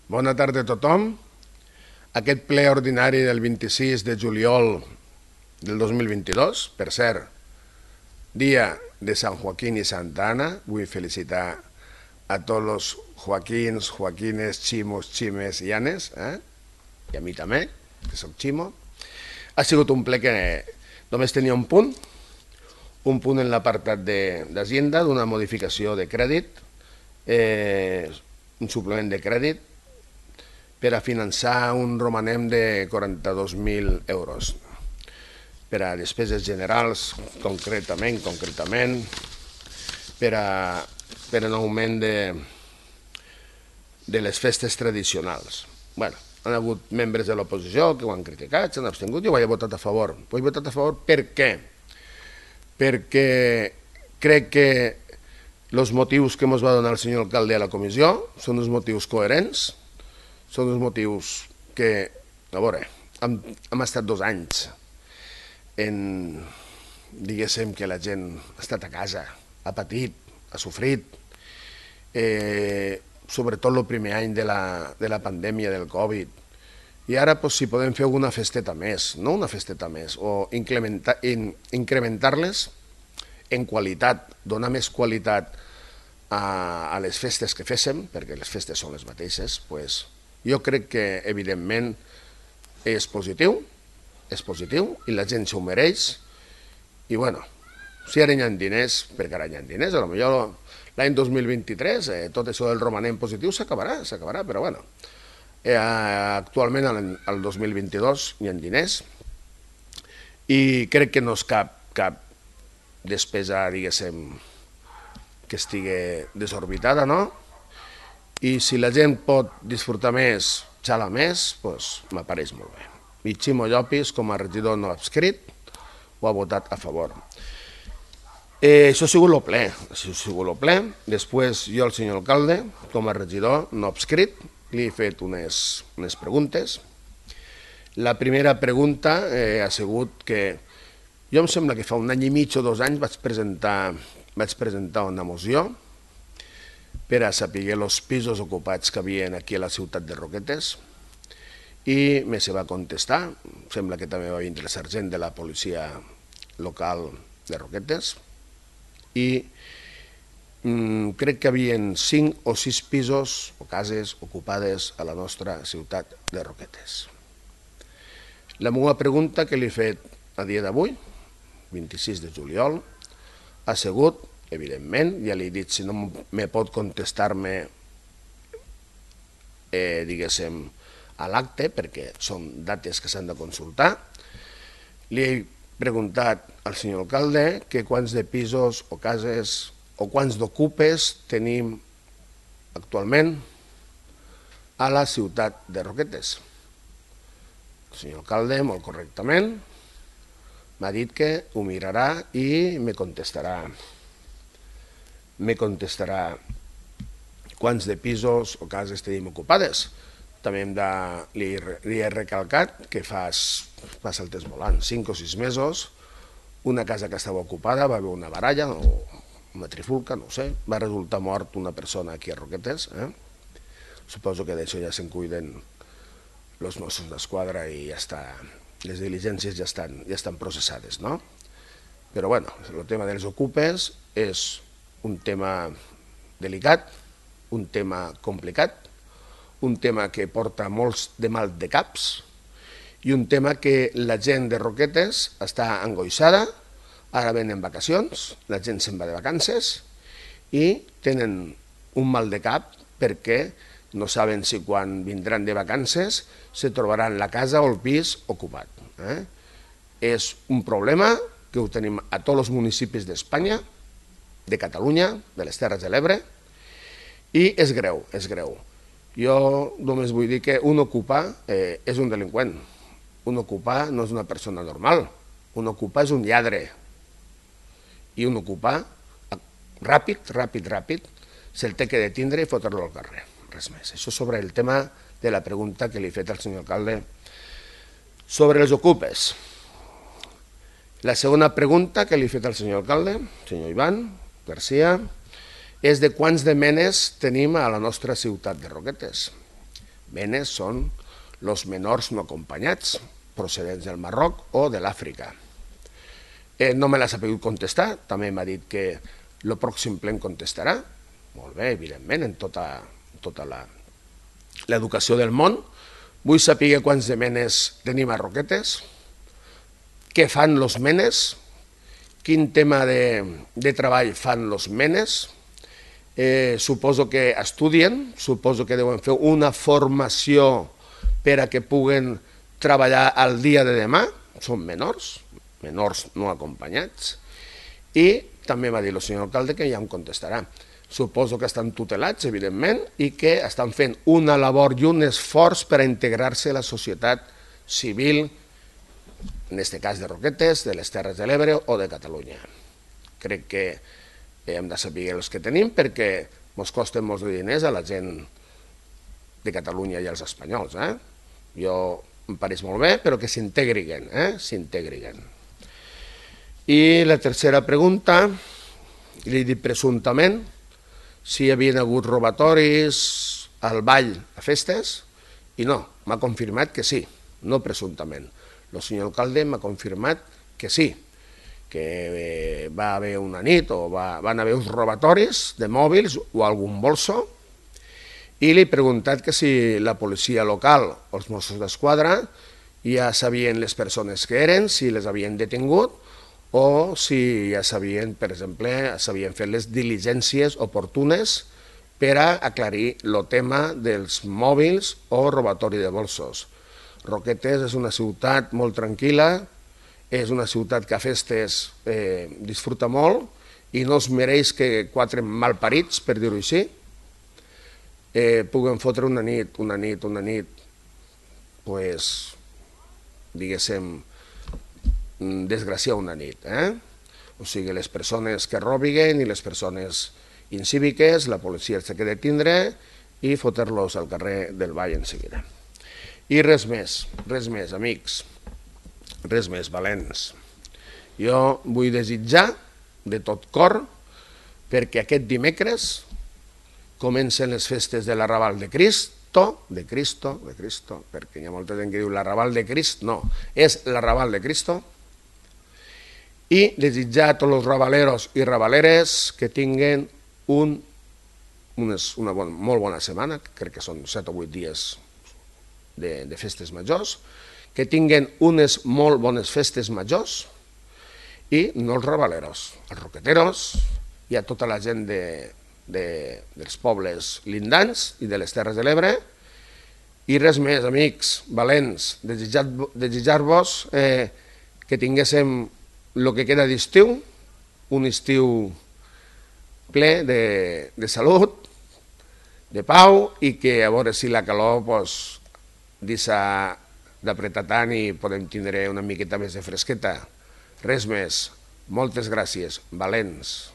Bona tarda a tothom. Aquest ple ordinari del 26 de juliol del 2022, per cert, dia de Sant Joaquín i Santa Ana, vull felicitar a tots els Joaquins, Joaquines, Ximos, Ximes i Anes, i a mi també, que soc Ximo. Ha sigut un ple que només tenia un punt en l'apartat d'Hacienda d'una modificació de crèdit, un suplement de crèdit, per a finançar un romanem de 42.000 euros. Per a despeses generals, concretament, per a un augment de les festes tradicionals. Bé, han hagut membres de l'oposició que ho han criticat, s'han abstingut, jo ho he votat a favor. Ho he votat a favor per què? Perquè crec que els motius que ens va donar el senyor alcalde a la comissió són uns motius coherents, són uns motius que, a veure, hem estat 2 anys diguéssim que la gent ha estat a casa, ha patit, ha sofrit, sobretot el primer any de la pandèmia del Covid. I ara, si podem fer alguna festeta més, no una festeta més, o incrementar-les en qualitat, donar més qualitat a les festes que féssim, perquè les festes són les mateixes, doncs jo crec que, evidentment, és positiu, i la gent s'ho mereix, i bueno, si ara hi ha diners, perquè ara hi ha diners, potser l'any 2023 tot això del romanent positiu s'acabarà, però bueno, actualment al 2022 hi ha diners, i crec que no és cap despesa, diguéssim, que estigui desorbitada, no? I si la gent pot disfrutar més, xala més, doncs m'apareix molt bé. I Ximo Llopis, com a regidor no adscrit, ho ha votat a favor. Això ha sigut el ple. Després jo, el senyor alcalde, com a regidor no adscrit, li he fet unes preguntes. La primera pregunta ha sigut que jo em sembla que fa 1 any i mig o 2 anys vaig presentar una moció per a saber els pisos ocupats que hi havia aquí a la ciutat de Roquetes, i me se va contestar, sembla que també va vindre el sergent de la policia local de Roquetes, i crec que hi havia 5 o 6 pisos o cases ocupades a la nostra ciutat de Roquetes. La meva pregunta que li he fet a dia d'avui, 26 de juliol, ha sigut, evidentment, ja li he dit, si no me pot contestar-me, diguéssim, a l'acte, perquè són dates que s'han de consultar. Li he preguntat al senyor alcalde que quants de pisos o cases o quants d'ocupes tenim actualment a la ciutat de Roquetes. El senyor alcalde, molt correctament, m'ha dit que ho mirarà i me contestarà quants de pisos o cases tenim ocupades. També li he recalcat que fa el temps volant, 5 o 6 mesos, una casa que estava ocupada va haver una baralla o una trifulca, no ho sé, va resultar mort una persona aquí a Roquetes. Suposo que d'això ja se'n cuiden els Mossos d'Esquadra i ja està, les diligències ja estan processades, no? Però bueno, el tema dels ocupes és un tema delicat, un tema complicat, un tema que porta molts de mal de caps i un tema que la gent de Roquetes està angoixada, ara venen vacacions, la gent se'n va de vacances i tenen un mal de cap perquè no saben si quan vindran de vacances se trobaran la casa o el pis ocupat. És un problema que ho tenim a tots els municipis d'Espanya, de Catalunya, de les Terres de l'Ebre, i és greu, és greu. Jo només vull dir que un ocupà és un delinqüent. Un ocupà no és una persona normal. Un ocupà és un lladre. I un ocupà, ràpid, se'l té que detindre i fotre-lo al carrer. Res més. Això sobre el tema de la pregunta que li he fet al senyor alcalde sobre els ocupes. La segona pregunta que li he fet al senyor alcalde, senyor Ivan Garcia, és de quants de menes tenim a la nostra ciutat de Roquetes. Menes són els menors no acompanyats, procedents del Marroc o de l'Àfrica. No me l'ha sabut contestar, també m'ha dit que el pròxim ple em contestarà. Molt bé, evidentment, en tota l'educació del món. Vull saber quants de menes tenim a Roquetes, què fan els menes, quin tema de treball fan els menes. Suposo que estudien, suposo que deuen fer una formació per a que puguen treballar al dia de demà. Són menors no acompanyats. I també va dir el senyor alcalde que ja em contestarà. Suposo que estan tutelats, evidentment, i que estan fent una labor i un esforç per a integrar-se a la societat civil, en aquest cas de Roquetes, de les Terres de l'Ebre o de Catalunya. Crec que hem de saber els que tenim perquè ens costen molts de diners a la gent de Catalunya i als espanyols. Jo em pareix molt bé, però que s'integrin, s'integrin. I la tercera pregunta, li he dit presumptament, si hi havia hagut robatoris al ball a festes, i no, m'ha confirmat que sí, no presumptament. El senyor alcalde m'ha confirmat que sí, que va haver una nit o van haver uns robatoris de mòbils o algun bolso, i li he preguntat que si la policia local o els Mossos d'Esquadra ja sabien les persones que eren, si les havien detingut, o si ja sabien, per exemple, s'havien fet les diligències oportunes per a aclarir el tema dels mòbils o robatori de bolsos. Roquetes és una ciutat molt tranquil·la, és una ciutat que a festes disfruta molt i no es mereix que quatre malparits, per dir-ho així, puguen fotre una nit, pues, diguéssim, desgraciar una nit. O sigui, les persones que robiguen i les persones incíviques, la policia els ha de tindre i fotre-los al carrer del Vall en seguida. I res més, amics, res més, valents. Jo vull desitjar de tot cor perquè aquest dimecres comencen les festes de l'Arrabal de Cristo, perquè hi ha molta gent que diu l'Arrabal de Crist, no, és l'Arrabal de Cristo, i desitjar a tots els rabaleros i rabaleres que tinguin una molt bona setmana, crec que són 7 o 8 dies de festes majors, que tinguin unes molt bones festes majors i no els rabaleros, els roqueteros i a tota la gent dels pobles lindants i de les Terres de l'Ebre. I res més, amics, valents, desitjar-vos que tinguéssim el que queda d'estiu, un estiu ple de salut, de pau, i que a veure si la calor deixa d'apretar tant i podem tindre una miqueta més de fresqueta. Res més. Moltes gràcies, valents.